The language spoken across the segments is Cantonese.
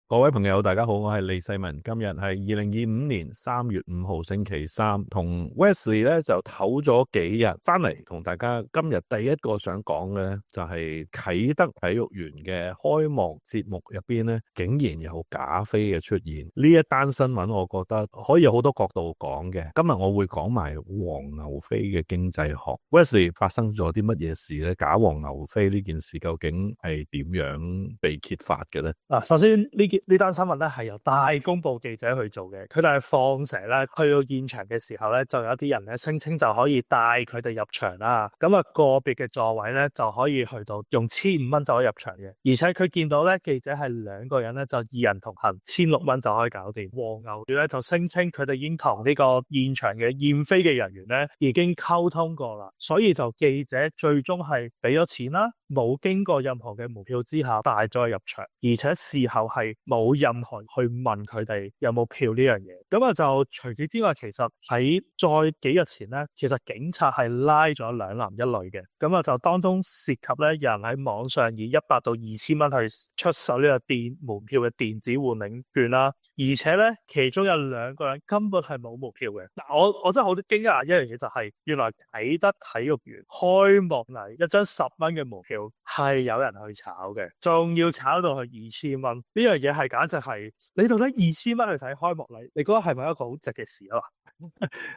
各位朋友大家好，我係李世民。今日係2025年3月5號星期三，同 Wesley 咧就唞咗幾日翻嚟，同大家今日第一個想講嘅咧就係啟德體育園嘅開幕節目入邊咧竟然有假飛嘅出現。呢一單新聞我覺得可以有好多角度講嘅。今日我會講埋黃牛飛嘅經濟學。Wesley 發生咗啲乜嘢事咧？假黃牛飛呢件事究竟係點樣被揭發嘅咧？首先呢單新聞咧係由大公報記者去做嘅，佢哋係放蛇咧去到現場嘅時候咧，就有啲人咧聲稱就可以帶佢哋入場啦。咁個別嘅座位咧就可以去到用1,500蚊就可以入場嘅，而且佢見到咧記者係2個人咧就2人同行，1,600蚊就可以搞掂。黃牛咧就聲稱佢哋已經同呢個現場嘅驗飛嘅人員咧已經溝通過啦，所以就記者最終係俾咗錢啦，冇經過任何嘅門票之下帶咗入場，而且事後係冇任何人去問佢哋有冇票呢樣嘢。咁就除此之外，其實喺再幾日前咧，其實警察係拉咗2男1女嘅。咁就當中涉及咧有人喺網上以100到2,000蚊去出售呢個門票嘅電子換領券啦，而且咧其中有2個人根本係冇門票嘅。我真係好驚訝一樣嘢就係，原來啟德體育園開幕禮一張10蚊嘅門票係有人去炒嘅，仲要炒到去2,000蚊。呢樣嘢係簡直係，你到底2,000蚊去睇開幕禮，你覺得係咪一個好值嘅事啊？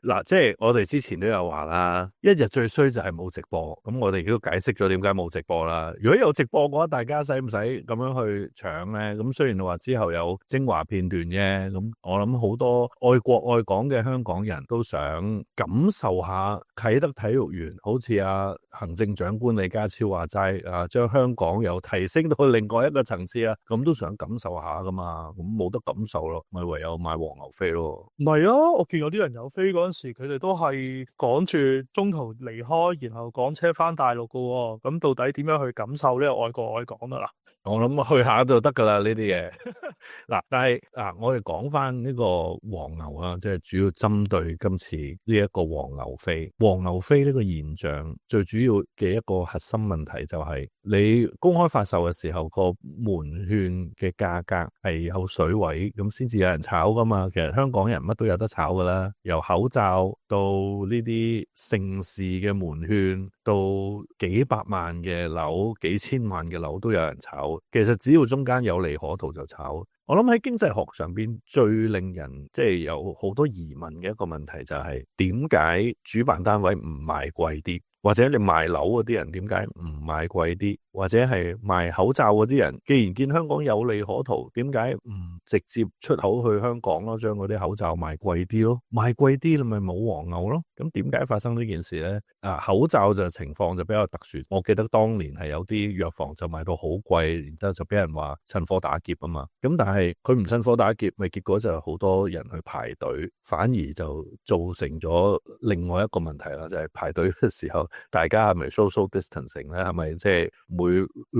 嗱，即係我哋之前都有話啦，一日最衰就係冇直播，咁我哋亦都解釋咗點解冇直播啦。如果有直播嘅話，大家使唔使咁樣去搶呢？咁雖然話之後有精華片段啫，咁我諗好多愛國愛港嘅香港人都想感受下啟德體育園，好似行政長官李家超話齋將香港又提升到另外一個層次啊，咁都想感受下噶嘛，咁冇得感受咯，咪唯有買黃牛飛咯。唔係啊，我見有啲人有飛嗰陣時，佢哋都係趕住中途離開，然後趕車翻大陸噶喎。咁到底點樣去感受呢個愛國愛港啊？我諗去下就得噶啦呢啲嘢。嗱，但係我哋講翻呢個黃牛啊，即係主要針對今次呢一個黃牛飛。黃牛飛呢個現象最主要嘅一個核心問題就係你公開發售嘅時候，個門券嘅價格係有水位，咁先至有人炒噶嘛。其實香港人乜都有得炒噶啦，由口罩到呢啲盛事嘅門券，到幾百萬嘅樓、幾千萬嘅樓都有人炒。其實只要中間有利可圖就炒。我諗喺經濟學上邊最令人即係有好多疑問嘅一個問題就係點解主辦單位唔賣貴啲，或者你賣樓嗰啲人點解唔賣貴啲，或者係賣口罩嗰啲人既然見香港有利可圖，點解唔直接出口去香港咯，將嗰啲口罩賣貴啲咯，賣貴啲你咪冇黃牛咯。咁點解發生呢件事呢？口罩就情況就比較特殊，我記得當年係有啲藥房就賣到好貴，然之後就俾人話趁火打劫啊嘛。咁但係佢唔趁火打劫，咪結果就好多人去排隊，反而就造成咗另外一個問題啦，就係排隊嘅時候大家係咪 social distancing 咧？係咪即係每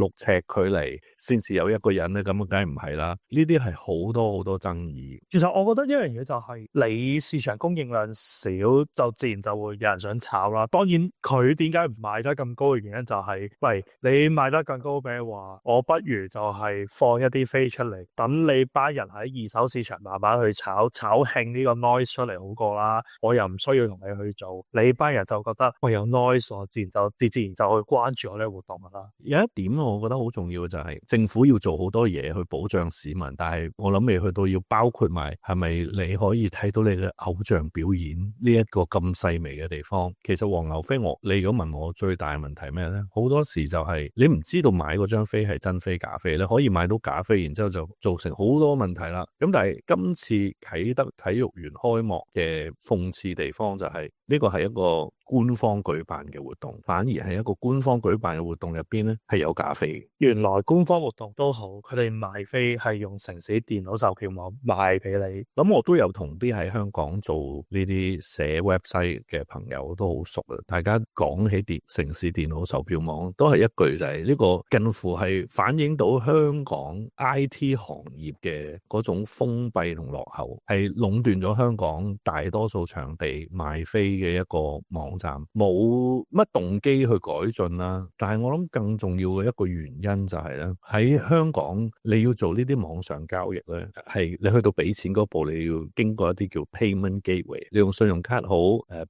6尺距離先至有一個人咧？咁梗係唔係啦？呢啲係好多好多爭議。其實我覺得一樣嘢就係你市場供應量少，就自然就會有人想炒啦。當然佢點解唔賣得咁高嘅原因就係，喂，你賣得更高嘅話，我不如就係放一啲飛出嚟，等你班人喺二手市場慢慢去炒興呢個 noise 出嚟好過啦。我又唔需要同你去做，你班人就覺得喂有 noise，我自然就去關注我呢個活動啦。有一點我覺得好重要嘅就係政府要做好多嘢去保障市民，但係我諗未去到要包括埋係咪你可以睇到你嘅偶像表演呢一個咁細微嘅地方。其實黃牛飛你如果問我最大嘅問題咩呢？好多時就係你唔知道買嗰張飛係真飛假飛，你可以買到假飛，然之後就造成好多問題啦。咁但係今次啟德體育園開幕嘅諷刺地方就係呢個係一個官方舉辦嘅活動，反而係一個官方舉辦嘅活動入邊咧係有假飛嘅。原來官方活動都好，佢哋賣飛係用城市電腦售票網賣俾你。咁我都有同啲喺香港做呢啲寫 website 嘅朋友都好熟啊。大家講起城市電腦售票網，都係一句就係呢個近乎係反映到香港 IT 行業嘅嗰種封閉同落後，係壟斷咗香港大多數場地賣飛嘅一個網網站，冇乜動機去改進啦。但係我諗更重要嘅一個原因就係咧，喺香港你要做呢啲網上交易咧，係你去到俾錢嗰步，你要經過一啲叫 payment gateway， 你用信用卡好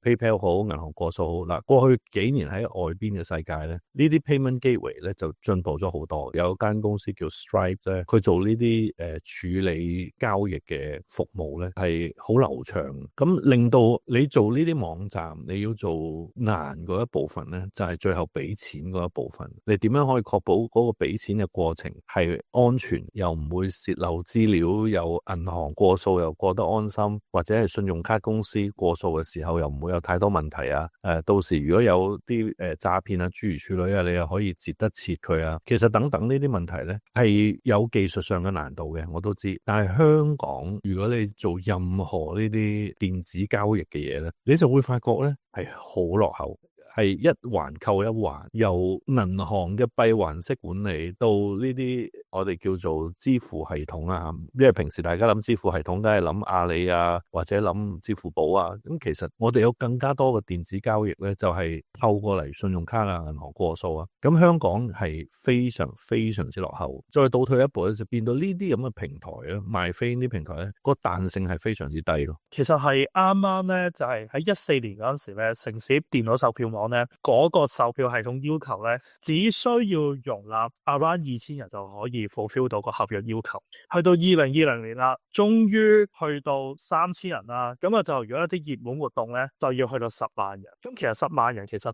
，PayPal 好，銀行過數好。嗱，過去幾年喺外邊嘅世界咧，呢啲 payment gateway 咧就進步咗好多。有間公司叫 Stripe 咧，佢做呢啲處理交易嘅服務咧係好流暢，咁令到你做呢啲網站，你要做難嗰一部分咧，就係最後俾錢嗰一部分。你點樣可以確保嗰個俾錢嘅過程係安全，又唔會洩漏資料，又銀行過數又過得安心，或者係信用卡公司過數嘅時候又唔會有太多問題啊？到時如果有啲詐騙啊諸如此類啊，你又可以截得切佢啊。其實等等呢啲問題咧係有技術上嘅難度嘅，我都知。但係香港如果你做任何呢啲電子交易嘅嘢咧，你就會發覺咧係好落後。係一環扣一環，由銀行嘅閉環式管理到呢啲我哋叫做支付系統啊，因為平時大家諗支付系統梗係諗阿里啊，或者諗支付寶啊，咁其實我哋有更加多嘅電子交易咧，就係透過嚟信用卡啊、銀行過數啊，咁香港係非常非常之落後。再倒退一步咧，就變到呢啲咁嘅平台咧，賣飛呢啲平台咧，個彈性係非常之低咯。其實係啱啱咧，就係喺14年嗰陣時咧，城市電腦售票網咧，嗰個售票系統要求咧，只需要容納 around 2000人就可以 fulfill 到個合約要求。去到2020年啦，終於去到3000人啦，咁啊就如果一啲熱門活動咧，就要去到10萬人。咁其實10萬人其實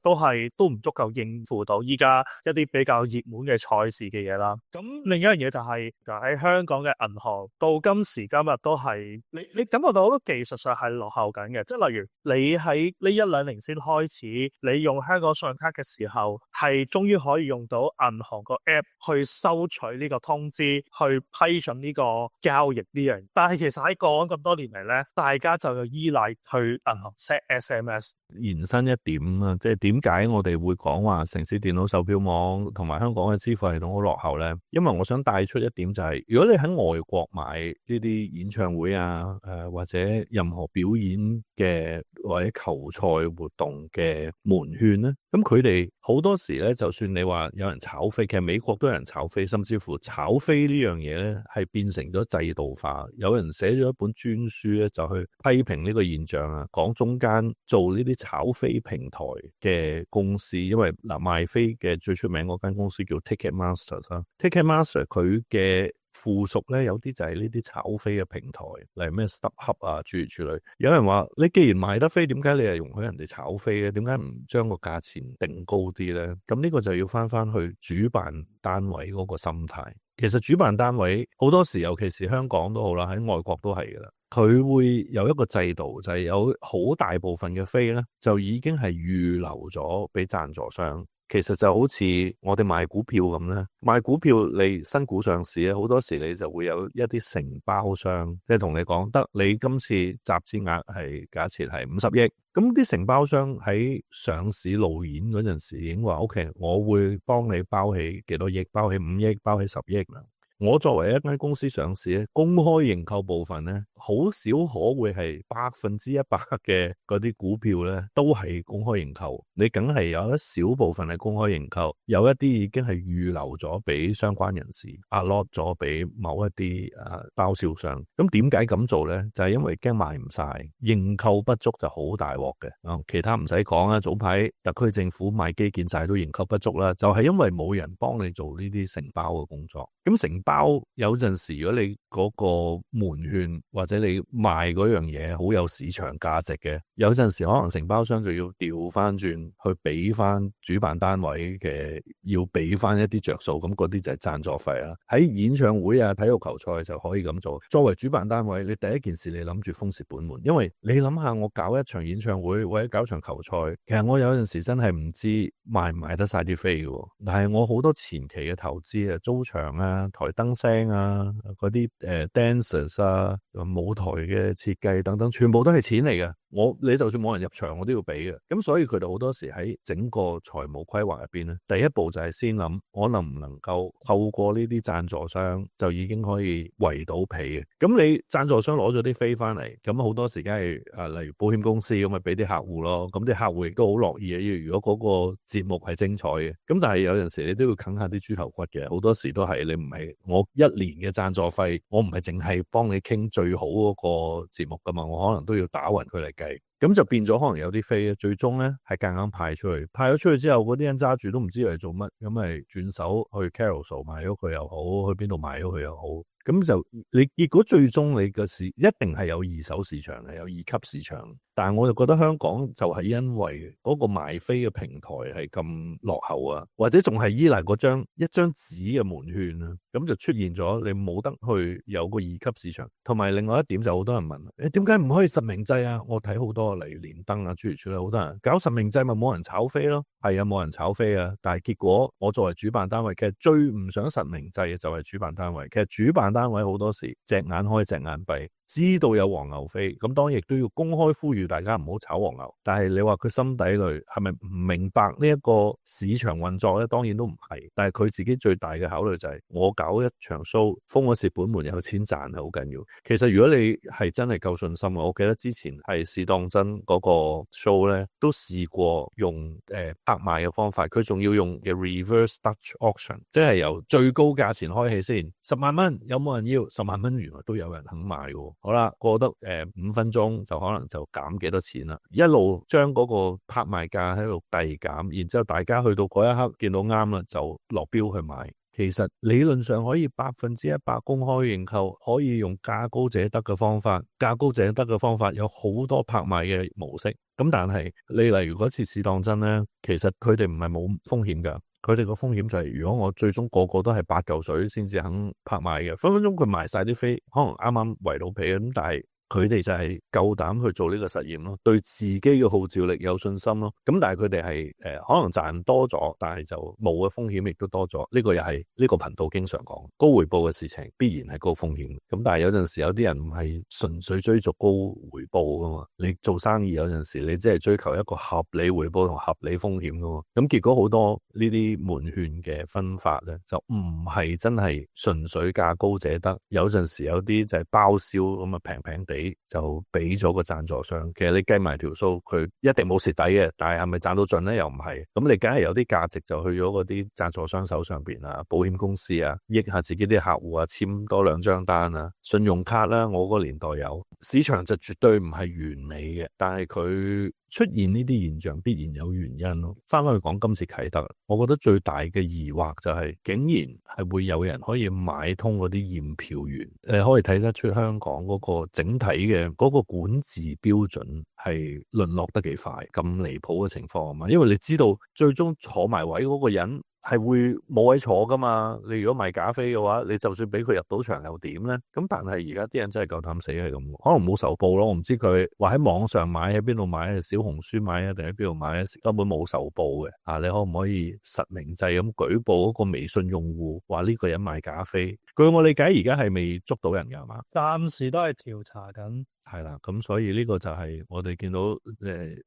都唔足夠應付到依家一啲比較熱門嘅賽事嘅嘢啦。咁另一樣嘢就喺香港嘅銀行到今時今日都係你感覺到好多技術上係落後緊嘅，即係例如你喺呢1-2年先開始，你用香港信用卡嘅時候，係終於可以用到銀行個 app 去收取呢個通知，去批准呢個交易呢樣。但係其實喺過往咁多年嚟咧，大家就要依賴去銀行 set SMS。延伸一點啊，即係點解我哋會講話城市電腦售票網同埋香港嘅支付系統好落後咧？因為我想帶出一點就係，如果你喺外國買呢啲演唱會啊，或者任何表演嘅或者球賽活動嘅門券咧，咁佢哋好多時咧，就算你話有人炒飛，其實美國都有人炒飛，甚至乎炒飛呢樣嘢咧係變成咗制度化。有人寫咗一本專書咧，就去批評呢個現象啊，講中間做呢啲炒飛平台嘅公司，因為賣飛嘅最出名嗰間公司叫 Ticketmaster 啦，Ticketmaster 佢嘅附屬咧有啲就係呢啲炒飛嘅平台，例如咩 StubHub 啊諸如此類。有人話你既然賣得飛，點解你係容許人哋炒飛咧？點解唔將個價錢定高啲咧？咁呢個就要翻去主辦單位嗰個心態。其實主辦單位好多時，尤其是香港都好啦，喺外國都係噶啦，佢會有一個制度，就係有好大部分嘅飛咧，就已經係預留咗俾贊助商。其實就好似我哋賣股票咁咧，賣股票你新股上市咧，好多時你就會有一啲承包商，即係同你講得你今次集資額係假設係50億，咁啲承包商喺上市路演嗰陣時已經話 OK， 我會幫你包起幾多億，包起5億，包起10億啦。我作為一間公司上市咧，公開認購部分咧，好少可會係100%嘅嗰啲股票咧，都係公開認購。你梗係有一小部分係公開認購，有一啲已經係預留咗俾相關人士 allot 咗俾某一啲包銷商。咁點解咁做咧？就係因為驚賣唔晒，認購不足就好大鑊嘅。其他唔使講啦，早排特區政府買基建債都認購不足啦，就係因為冇人幫你做呢啲承包嘅工作。咁承包有陣時，如果你嗰個門券或者你賣嗰樣嘢好有市場價值嘅，有陣時可能承包商就要調翻轉去俾翻主辦單位嘅，要俾翻一啲着數，咁嗰啲就係贊助費啦。喺演唱會啊、體育球賽就可以咁做。作為主辦單位，你第一件事你諗住封蝕本門，因為你諗下我搞一場演唱會或者搞場球賽，其實我有陣時真係唔知賣唔賣得晒啲飛嘅，但係我好多前期嘅投資啊、租場啊、台燈聲啊、嗰啲dancers 啊、舞台嘅設計等等，全部都係錢嚟嘅。你就算冇人入場，我都要俾嘅。咁所以佢哋好多時喺整個財務規劃入邊咧，第一步就係先諗我能唔能夠透過呢啲贊助商就已經可以圍到皮嘅。咁你贊助商攞咗啲飛翻嚟，咁好多時梗係例如保險公司咁咪俾啲客戶咯。咁啲客戶亦都好樂意嘅。如果嗰個節目係精彩嘅，咁但係有陣時你都要啃下啲豬頭骨嘅。好多時都係你唔係我一年嘅贊助費，我唔係淨係幫你傾最好嗰個節目噶嘛，我可能都要打勻佢嚟計。咁就變咗可能有啲飛最終咧係夾硬派出去，派咗出去之後嗰啲人揸住都唔知嚟做乜，咁咪轉手去 Carousel 賣咗佢又好，去邊度賣咗佢又好。咁就你結果最終你個市一定係有二手市場嘅，有二級市場。但係我就覺得香港就係因為嗰個賣飛嘅平台係咁落後啊，或者仲係依賴嗰一張紙嘅門券啊，咁就出現咗你冇得去有個二級市場。同埋另外一點就好多人問，點解唔可以實名制啊？我睇好多例如連登啊諸如此類，好多人搞實名制咪冇人炒飛咯。係啊，冇人炒飛啊，但係結果我作為主辦單位，其實最唔想實名制嘅就係主辦單位。其實主辦單位好多時隻眼開隻眼閉，知道有黃牛飛，咁當然亦都要公開呼籲大家唔好炒黃牛。但係你話佢心底裏係咪唔明白呢一個市場運作咧？當然都唔係。但係佢自己最大嘅考慮就係我搞一場 show， 封咗蝕本門有錢賺係好緊要。其實如果你係真係夠信心，我記得之前係試當真嗰個 show 咧，都試過用拍賣嘅方法，佢仲要用嘅 reverse Dutch auction， 即係由最高價錢開起先，10萬蚊有冇人要？10萬蚊原來都有人肯買嘅。好啦，過得5分鐘就可能就減幾多錢啦，一路將嗰個拍賣價喺度遞減，然之後大家去到嗰一刻見到啱啦，就落標去買。其實理論上可以100%公開認購，可以用價高者得嘅方法。價高者得嘅方法有好多拍賣嘅模式，咁但係你例如嗰次試當真咧，其實佢哋唔係冇風險㗎。佢哋個風險就係如果我最終個個都係8嚿水先至肯拍賣嘅，分分鐘佢賣晒啲飛，可能啱啱圍到皮咁，但係佢哋就係夠膽去做呢個實驗咯，對自己嘅號召力有信心咯。咁但係佢哋係可能賺多咗，但係就冇嘅風險亦都多咗。呢個又係呢個頻道經常講，高回報嘅事情必然係高風險。咁但係有陣時有啲人唔係純粹追逐高回報噶嘛，你做生意有陣時你只係追求一個合理回報同合理風險噶嘛。咁結果好多呢啲門券嘅分法咧，就唔係真係純粹價高者得。有陣時有啲就係包銷咁啊，平平地就俾咗個贊助商。其實你計埋條數，佢一定冇蝕底嘅，但係係咪賺到盡咧？又唔係。咁你梗係有啲價值就去咗嗰啲贊助商手上邊啊，保險公司啊，益下自己啲客戶啊，簽多2張單啊，信用卡啦，我個年代有。市場就絕對唔係完美嘅，但係佢出現呢啲現象必然有原因咯。翻去講今次啟德，我覺得最大嘅疑惑就係竟然係會有人可以買通嗰啲驗票員，可以睇得出香港嗰個整體嘅嗰個管治標準係淪落得幾快，咁離譜嘅情況啊嘛。因為你知道最終坐埋位嗰個人係會冇位坐噶嘛，你如果賣假飛嘅話，你就算俾佢入到場又點咧？咁但係而家啲人真係夠膽死係咁，可能冇仇報咯，我唔知佢話喺網上買喺邊度買，小紅書買啊定喺邊度買，根本冇仇報嘅啊！你可唔可以實名制咁舉報嗰個微信用戶話呢個人賣假飛？據我理解而家係未捉到人㗎嘛？暫時都係調查緊。係啦，咁所以呢個就係我哋見到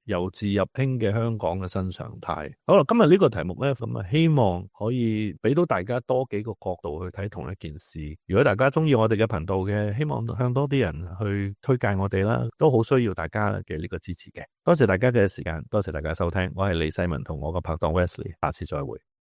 由治入興嘅香港嘅新常態。好啦，今日呢個題目咧，咁啊希望可以俾到大家多幾個角度去睇同一件事。如果大家中意我哋嘅頻道嘅，希望向多啲人去推介我哋啦，都好需要大家嘅呢個支持嘅。多謝大家嘅時間，多謝大家收聽，我係李世民同我個拍檔 Wesley，下次再會。